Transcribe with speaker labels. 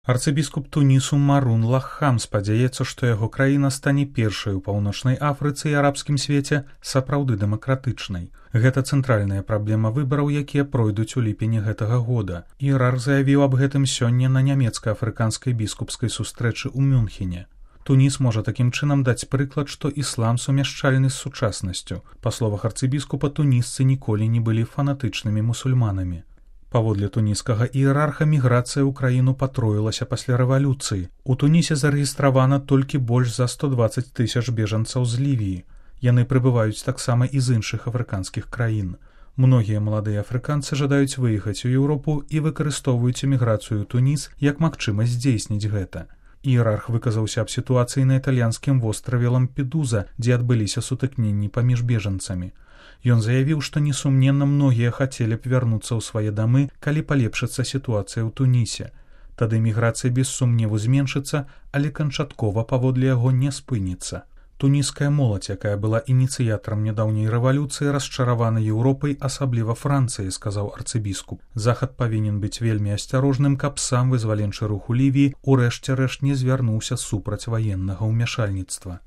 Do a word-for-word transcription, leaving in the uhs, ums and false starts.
Speaker 1: Арцыбіскуп Тунісу Марун Лаххам спадзяецца, што яго краіна стане першай у паўночнай Афрыцы і арабскім свеце сапраўды дэмакратычнай. Гэта цэнтральная праблема выбараў, якія пройдуць у ліпені гэтага года. Іерарх заявіў аб гэтым сёння на нямецка-афрыканскай біскупскай сустрэчы ў Мюнхене. Туніс можа такім чынам даць прыклад, што іслам сумяшчальны з сучаснасцю. Па словах арцыбіскупа, тунісцы ніколі не былі фанатычнымі мусульманамі. Паводле туніскага іерарха, міграцыя ў краіну патроілася пасля рэвалюцыі. У Тунісе зарэгістравана толькі больш за сто дваццаць тысяч бежанцаў з Лівіі. Яны прыбываюць таксама і з іншых афрыканскіх краін. Многія маладыя афрыканцы жадаюць выехаць у Еўропу і выкарыстоўваюць эміграцыю ў Туніс як магчымасць здзейсніць гэта. Іерарх выказаўся аб сітуацыі на італьянскім востраве Лампедуза, дзе адбыліся сутыкненні паміж бежанцамі. Ён заявіў, што несумненна многія хацелі б вярнуцца ў свае дамы, калі палепшыцца сітуацыя ў Тунісе. Тады міграцыя без сумневу зменшыцца, але канчаткова паводле яго не спыніцца. Туніская моладзь, якая была ініцыятарам нядаўняй рэвалюцыі, расчаравана Еўропай, асабліва Францыяй, сказаў арцыбіскуп. Захад павінен быць вельмі асцярожным, каб сам вызваленчы рух у Лівіі ў рэшце рэшт не звярнуўся супраць ваеннага ўмяшальніцтва.